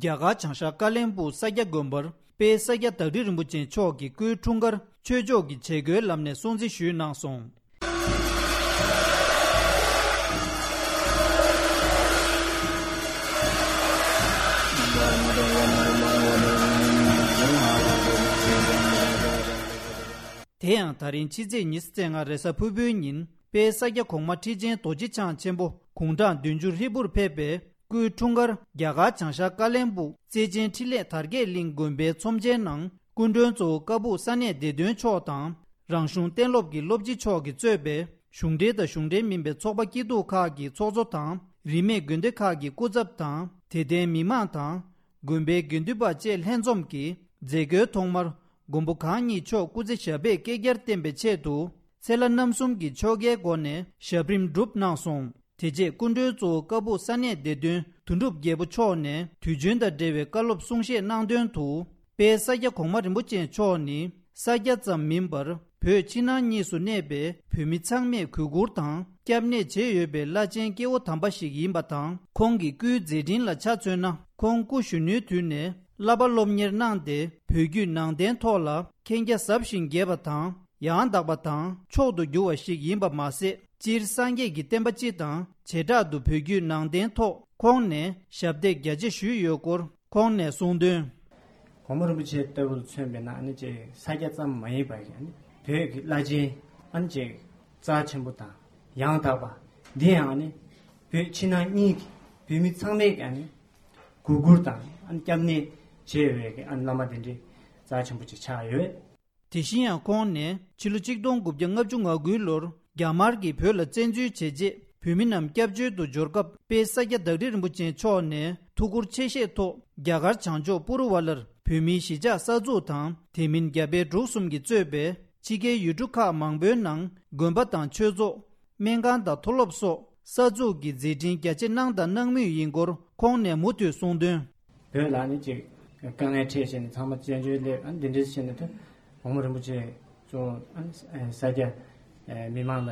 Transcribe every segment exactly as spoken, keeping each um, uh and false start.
རྒྱ་གར་བྱང་ཤར་ཀ་ལན་སྦུག་ས་སྐྱ་དགོན་པར་དཔལ་ས་སྐྱ་བདག་ཁྲི་རིན་པོ་ཆེ་མཆོག་གི་སྐུའི་འཁྲུངས་སྐར་ཆོས་ཕྱོགས་ཀྱི་བྱེད་སྒོའི་ལམ་ནས་སྲུང་བརྩི་ཞུས་གནང་སོང་། དེ་ཡང་ད་རིང་ཕྱི་ཚེས་ཉི་ཤུ་རྩ་ལྔ་རེས་གཟའ་ཕུར་བུའི་ཉིན་དཔལ་ས་སྐྱ་གོང་མ་ཁྲི་ཆེན་རྡོ་རྗེ་འཆང་ཆེན་པོ་དགུང་གྲངས་བདུན་ཅུ་ཧྲིལ་པོར་ཕེབས་པའི་སྐུའི་འཁྲུངས་སྐར་རྒྱ་གར་བྱང་ཤར་ཀ་ལན་སྦུག་བརྩེ་ཆེན་འཕྲིན་ལས་དར་རྒྱས་གླིང་དགོན་པའི་ཚོམས་ཆེན་ནང་སྐུ་མགྲོན་གཙོ་བོ་ཀ་སྦུག་ས་གནས་སྡེ་བདུན་མཆོག་དང་། རང་གཞུང་གཏན་སློབ་ཀྱི་སློབ་སྤྱི་མཆོག་གིས་གཙོས་པའི་གཞུང་འབྲེལ་དང་གཞུང་འབྲེལ་མིན་པའི་ཚོགས་པ་སྐྱིད་སྡུག་ཁག་གི་ཚོགས་གཙོ་དང་། རིས་མེད་དགོན་སྡེ་ཁག་གི་སྐུ་ཚབ་དང་། དད་ལྡན་མི་མང་དང་། དགོན་པའི་དགེ་འདུན་པ་བཅས་ལྷན་འཛོམས་ཀྱིས་མཛད་སྒོའི་ཐོག་མར་མགོན་པོ་གང་ཉིད་མཆོག་སྐུ་ཚེ་ཞབས་པད་བསྐལ་བརྒྱར་བརྟན་པའི་ཆེད་དུ་ཚེ་ལྷ་རྣམ་གསུམ་གྱི་ཆོ་གའི་སྒོ་ནས་ཞབས་རིམ་བསྒྲུབས་གནང་སོང་། དེ་རྗེས་སྐུ་མགྲོན་གཙོ་བོ་ཀ་སྦུག་ས་གནས་སྡེ་བདུན་དོན་གྲུབ་རྒྱལ་པོ་མཆོག་ནས་དུས་ཆེན་དང་འབྲེལ་བའི་བཀའ་སློབ་གསུང་བཤད་གནང་དོན་དུ། དཔལ་ས་སྐྱ་གོང་མ་རིན་པོ་ཆེ་མཆོག་ནི་ས་སྐྱ་ཙམ་མིན་པར་བོད་ཕྱི་ནང་གཉིས་སུ་གནས་པའི་བོད་མི་ཚང་མས་གུས་བཀུར་དང་སྐྱབས་གནས་བྱེད་འོས་པའི་བླ་ཆེན་སྐྱེ་བོ་དམ་པ་ཞིག་ཡིན་པ་དང་། ཁོང་གི་སྐུའི་མཛད་འཕྲིན་ལ་ཆ་མཚོན་ན། ཁོང་སྐུ་གཞོན་ནུའི་དུས་ནས་བསླབ་པ་སློབ་གཉེར་གནང་སྟེ། བོད་བརྒྱུད་ནང་བསྟན་ཐོག་ལ་མཁྱེན་རྒྱ་ཟབ་ཞིང་རྒྱས་པ་དང་། ཡང་དག་པ་དང་མཆོག་ཏུ་གྱུར་བ་ཞིག་ཡིན་པ་མ་ཟད། སྤྱིར་སངས་རྒྱས་ཀྱི་བསྟན་པ་སྤྱི་དང་བྱེ་བྲག་ཏུ་བོད་བརྒྱུད་ནང་བསྟན་ཐོག་ཁོང་ནས་ཞབས་འདེགས་རྒྱ་ཆེ་ཞུས་ཡོད་སྐོར་ཁོང་ནས་གསུངས་དོན། གོང་མ་རིན་པོ་ཆེ་ལྟ་བུར་མཚོན་པས་ན། ཨ་ནི་ཅིག་ས་སྐྱ་ཙམ་མ་ཡིན་པར་ཨ་ནི་བོད་ཀྱི་བླ་ཆེན་ཨ་ནི་ཅིག་རྩ་ཆེན་པོ་དང་ཡང་དག་པ། འདི་ཡང་ཨ་ནི་བོད་ཕྱི་ནང་གཉིས་ཀྱི་བོད་མི་ཚང་མས་ཨ་ནི་གུས་བཀུར་དང་ཨ་ནི་སྐྱབས་གནས་བྱེད་འོས་ཀྱི་ཨ་ནི་བླ་མ་དེ་འདྲའི་རྩ་ཆེན་པོ་ཅིག་ཆགས་ཡོད། དེ་བཞིན་ཡང་ཁོང་ནས་ཕྱི་ལོ་ཆིག་སྟོང་དགུ་བརྒྱ་ལྔ་བཅུ་ང་དགུའི་ལོར་རྒྱ་དམར་གྱིས་བོད་ལ་བཙན་འཛུལ་བྱས་རྗེས། བོད་མི་རྣམས་སྐྱབས་བཅོལ་དུ་འབྱོར་སྐབས། དཔལ་ས་སྐྱ་བདག་ཁྲི་རིན་པོ་ཆེ་མཆོག་ནས་ཐུགས་ཁུར་ཆེ་བཞེས་ཐོག་རྒྱ་གར་བྱང་ཕྱོགས་པུ་རུ་ཝ་ལར་བོད་མིའི་གཞིས་ཆགས་གསར་འཛུགས་དང་། དེ་མིན་རྒྱ་བལ་འབྲུག་གསུམ་གྱིས་གཙོས་པའི་ཕྱི་རྒྱལ་ཡུལ་གྲུ་ཁག་མང་པོའི་ནང་དགོན་པ་དང་ཆོས་ཚོགས། སྨན་ཁང་དང་མཐོ་སློབ་སོགས་གསར་འཛུགས་ཀྱི་མཛད་འཕྲིན་རྒྱ་ཆེ་གནང་དང་གནང་མུས་ཡིན་སྐོར་ཁོང་ནས་མུ་མཐུད་གསུངས་དོན། བོད་ལ་ནི་ཅིག་དཀའ་ངལ་འཕྲད་བྱས་ནས་ཚང་མ་བཙན་བྱོལ་སླེབས། ཨ་ནི་འདི་འདྲ་བྱས་ནས་ད་གོང་མ་རིན་པོ་ཆེ་གཙོ་བོ་ཨ་ནི་ས་སྐྱ་མི་མང་ལ་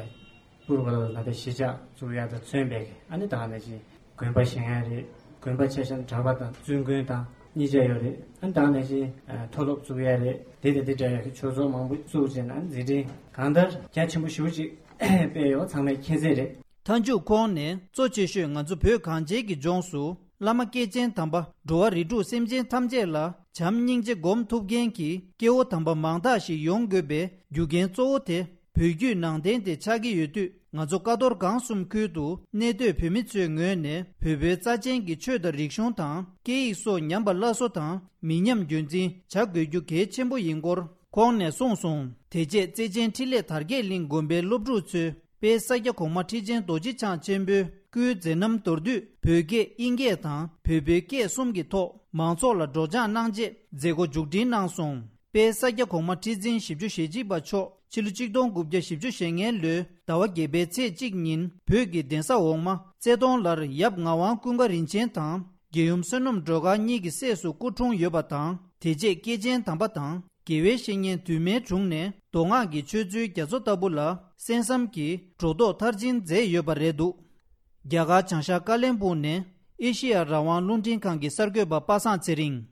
པུར་བ་ལ་ད་གཞིས་ཆགས་བཙུགས་ཡག་དང་མཚོན་པའི་ཨ་ནི་ད་ནས་ཅིག་དགོན་པ་བཞེངས་ཡག་རེད། དགོན་པ་ཆ་བཞག་ན་གྲྭ་པ་དང་བཙུན་དགོན་དང་གཉིས་ཆ་ཡོད་རེད། ཨ་ནི་ད་ནས་ཅིག་མཐོ་སློབ་བཙུགས་ཡག་རེད། དེ་དང་དེ་འདྲ་ཡག་གི་ཆོས་ཚོགས་མང་པོ་བཙུགས་བྱས་ན་ཨ་ནི་མཛད་འཕྲིན་གང་ལྟར་རྒྱ་ཆེན་པོ་ཞེ་པོ་ཅིག་སྤེལ་ཡོད་པ་ཚང་མས་མཁྱེན་གསལ་རེད། མཐའ་མཇུག་ཁོང་ནས་གཙོ་ཆེ་ཤོས་ང་ཚོ་བོད་གངས་ཅན་གྱི་ལྗོངས་སུ་བླ་མ་སྐྱེས་ཆེན་དམ་པ་འགྲོ་བ་རིགས་དྲུག་སེམས་ཅན་ཐམས་ཅད་ལ་བྱམས་སྙིང་རྗེ་སྒོམ་ཐུབ་མཁན་གྱི་སྐྱེ་བོ་དམ་པ་མང་དག་ཞིག་ཡོང་དགོས་པའི་རྒྱུ་རྐྱེན་གཙོ་བོ་དེ་བོད་བརྒྱུད་ནང་བསྟན་དེ་ཆགས་ཀྱི་ཡོད་དུས། ང་ཚོ་ཀ་རྡོར་སྒང་གསུམ་ཁུལ་དུ་གནས་སྡོད་བོད་མི་ཚོའི་ངོས་ནས་བོད་པའི་རྩ་ཆེན་གྱི་ཆོས་དང་རིག་གཞུང་དང་སྐད་ཡིག་སོགས་ཉམས་པ་སླར་གསོ་དང་མི་ཉམས་རྒྱུན་འཛིན་བྱ་དགོས་རྒྱུ་གལ་ཆེན་པོ་ཡིན་སྐོར་ཁོང་ནས་གསུངས་སོང་། དེ་རྗེས་བརྩེ་ཆེན་འཕྲིན་ལས་དར་རྒྱས་གླིང་དགོན་པའི་སློབ་ཕྲུག་ཚོས་དཔལ་ས་སྐྱ་གོང་མ་ཁྲི་ཆེན་རྡོ་རྗེ་འཆང་ཆེན་པོའི་སྐུའི་མཛད་རྣམ་མདོར་བསྡུས་བོད་སྐད་དབྱིན་སྐད་དང་བོད་པའི་སྐད་གསུམ་གྱི་ཐོག་མང་ཚོགས་ལ་སྒྲོག་སྦྱང་གནང་རྗེས་མཛད་སྒོ་མཇུག་སྒྲིལ་གནང་སོང་། དཔལ་ས་སྐྱ་གོང་མ་ཁྲི་འཛིན་བཞི་བཅུ་ཞེ་གཅིག་པ་མཆོག་ཕྱི་ལོ་ཆིག་སྟོང་དགུ་བརྒྱ་བཞི་བཅུ་ཞེ་ལྔའི་ལོའི་ཟླ་བ་བརྒྱད་པའི་ཚེས་གཅིག་ཉིན་བོད་ཀྱི་གདན་ས་འོག་མ་རྩེ་གདོང་ལར་ཡབ་ངག་དབང་ཀུན་དགའ་རིན་ཆེན་དང་། རྒྱལ་ཡུམ་བསོད་ནམས་སྒྲོལ་དཀར་གཉིས་ཀྱི་སྲས་སུ་སྐུ་འཁྲུངས་ཡོད་པ་དང་། དེ་རྗེས་སྐྱེས་ཆེན་དམ་པ་དང་། དགེ་བའི་བཤེས་གཉེན་དུ་མའི་དྲུང་ནས་མདོ་སྔགས་ཀྱི་ཆོས་ཚུལ་རྒྱ་མཚོ་ལྟ་བུ་ལ་གསན་བསམ་གྱིས་སྒྲོ་འདོགས་མཐར་ཕྱིན་མཛད་ཡོད་པ་རེད་འདུག་རྒྱ་གར་བྱང་ཤར་ཀ་ལན་སྦུག་ནས་ཨེ་ཤི་ཡ་རང་དབང་རླུང་འཕྲིན་ཁང་གི་གསར་འགོད་པ་པ་སངས་ཚེ་རིང་།